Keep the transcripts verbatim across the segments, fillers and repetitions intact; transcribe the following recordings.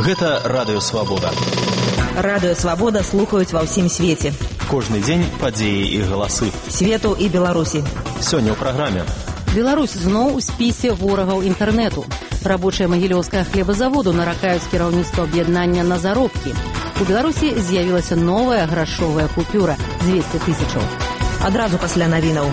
Гэта Радыё Свабода. Радыё Свабода слухаюць ва ўсім свеце. Кожны дзень падзеі і галасы. Свету і Беларусі. Сёння ў праграме. Беларусь зноў у спісе ворагаў інтэрнэту. Рабочыя магілёўскага хлебазаводу наракаюць кіраўніцтва аб'яднання на заробкі. У Беларусі з'явілася новая грашовая купюра – дзвесце тысячаў. Адразу пасля навінаў.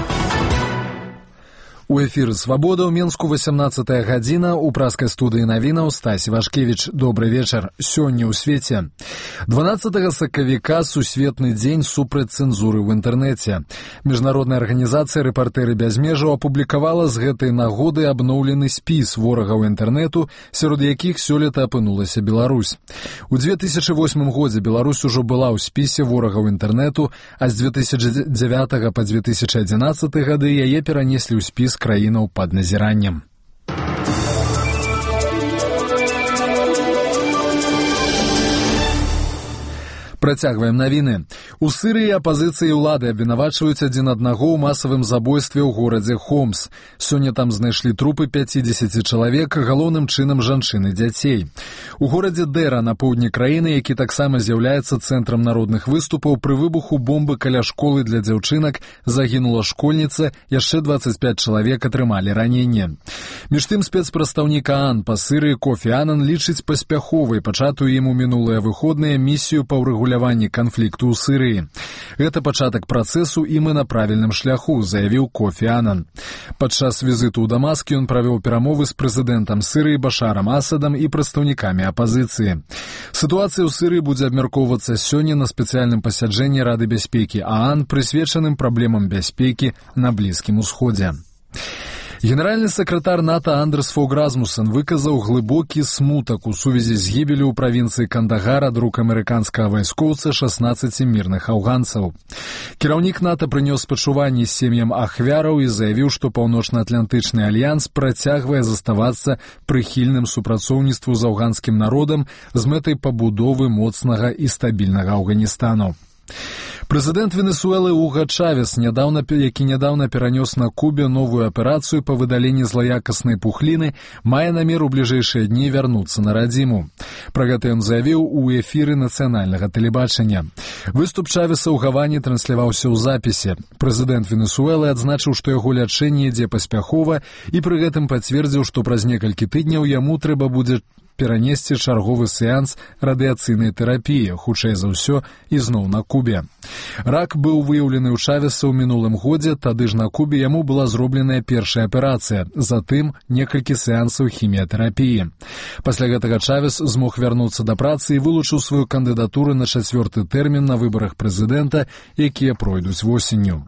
У эфіры «Свабода» ў Менску васямнаццатая гадзіна, у праскай студыі навінаў Стась Вашкевіч. Добры вечар. Сёння ў свеце. дванаццатага сакавіка сусветны дзень супраць цэнзуры ў інтэрнэце. Міжнародная арганізацыя «Рэпартэры без межаў» апублікавала з гэтай нагоды абноўлены спіс ворагаў інтэрнэту, сярод якіх сёлета апынулася Беларусь. У дзве тысячы восьмым годзе Беларусь ужо была ў спісе ворагаў інтэрнэту, а з дзве тысячы дзявятага па дзве тысячы адзінаццаты гады яе перанеслі ў спіс краінаў пад назіраннем. Працягваем навіны. У Сірыі апазіцыі ўлады абвінавачваюць адзін аднаго ў масавым забойстве ў горадзе Хомс. Сёння там знайшлі трупы пяцідзесяці чалавек, галоўным чынам жанчын і дзяцей. У горадзе Дэра на поўдні краіны, які таксама з'яўляецца цэнтрам народных выступаў, пры выбуху бомбы каля школы для дзяўчынак загінула школьніца, яшчэ дваццаць пяць чалавек атрымалі раненне. Між тым спецпрадстаўнік ААН па Сірыі Кофі Анан лічыць паспяховай пачатую ім у мінулыя выходныя місію па ўрэгуляванні канфлікту ў Сірыі. Гэта пачатак працэсу, і мы на правільным шляху, заявіў Кофі Анан. Падчас візіту ў Дамаск ён правёў перамовы з прэзідэнтам Сірыі Башарам Асадам і прадстаўнікамі апазіцыі. Сітуацыя ў Сірыі будзе абмяркоўвацца сёння на спецыяльным пасяджэнні Рады бяспекі ААН, прысвечаным праблемам бяспекі на Блізкім Усходзе. Генеральны сакратар НАТО Андерс Фог Расмуссен выказаў глыбокі смутак у сувязі з гібелю ў правінцыі Кандагар ад рук амерыканскага вайскоўца шаснаццаці мірных афганцаў. Кіраўнік НАТО прынёс спачуванні сем'ям ахвяраў і заявіў, што Паўночна-Атлантычны альянс працягвае заставацца прыхільным супрацоўніцтву з афганскім народам з мэтай пабудовы моцнага і стабільнага Афганістану. Прэзідэнт Венесуэлы Уга Чавес, нядаўна, які нядаўна перанёс на Кубе новую аперацыю па выдаленні злаякаснай пухліны, мае намер у бліжэйшыя дні вярнуцца на радзіму. Пра гэта ён заявіў у эфіры нацыянальнага тэлебачання. Выступ Чавеса ў Гаване трансляваўся ў запісе. Прэзідэнт Венесуэлы адзначыў, што яго лячэнне ідзе паспяхова, і пры гэтым пацвердзіў, што праз некалькі тыдняў яму трэба будзе перанесці чарговы сеанс радыяцыйнай тэрапіі, хутчэй за ўсё, ізноў на Кубе. Рак быў выяўлены ў Чавеса ў мінулым годзе, тады ж на Кубе яму была зробленая першая аперацыя, затым некалькі сеансаў хіміятэрапіі. Пасля гэтага Чавес змог вярнуцца да працы і вылучыў сваю кандыдатуру на чацвёрты тэрмін на выбарах прэзідэнта, якія пройдуць восенню.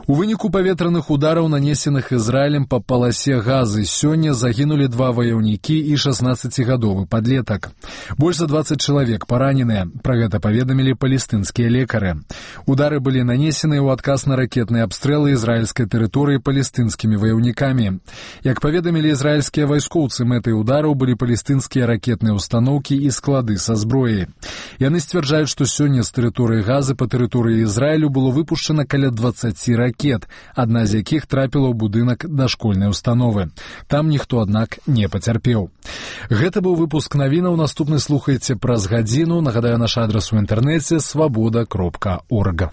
У выніку паветраных удараў, нанесеных Ізраілем па паласе Газы, сёння загінулі два ваяўнікі і шаснаццацігадовы падлетак. Больш за дваццаць чалавек параненыя. Пра гэта паведамілі палестынскія лекары. Удары былі нанесены ў адказ на ракетныя абстрэлы ізраільскай тэрыторыі палестынскімі ваяўнікамі. Як паведамілі ізраільскія вайскоўцы, мэтай удараў былі палестынскія ракетныя ўстаноўкі і склады са зброяй. Яны сцвярджаюць, што сёння з тэрыторыі Газы па тэрыторыі Ізраілю было выпушчана каля дваццаці ракет. Адна з якіх трапіла ў будынак дашкольнай установы. Там ніхто, аднак, не пацярпеў. Гэта быў выпуск навінаў, наступны слухайце праз гадзіну. Нагадаю, наш адрас у інтэрнэце свабода кропка орг.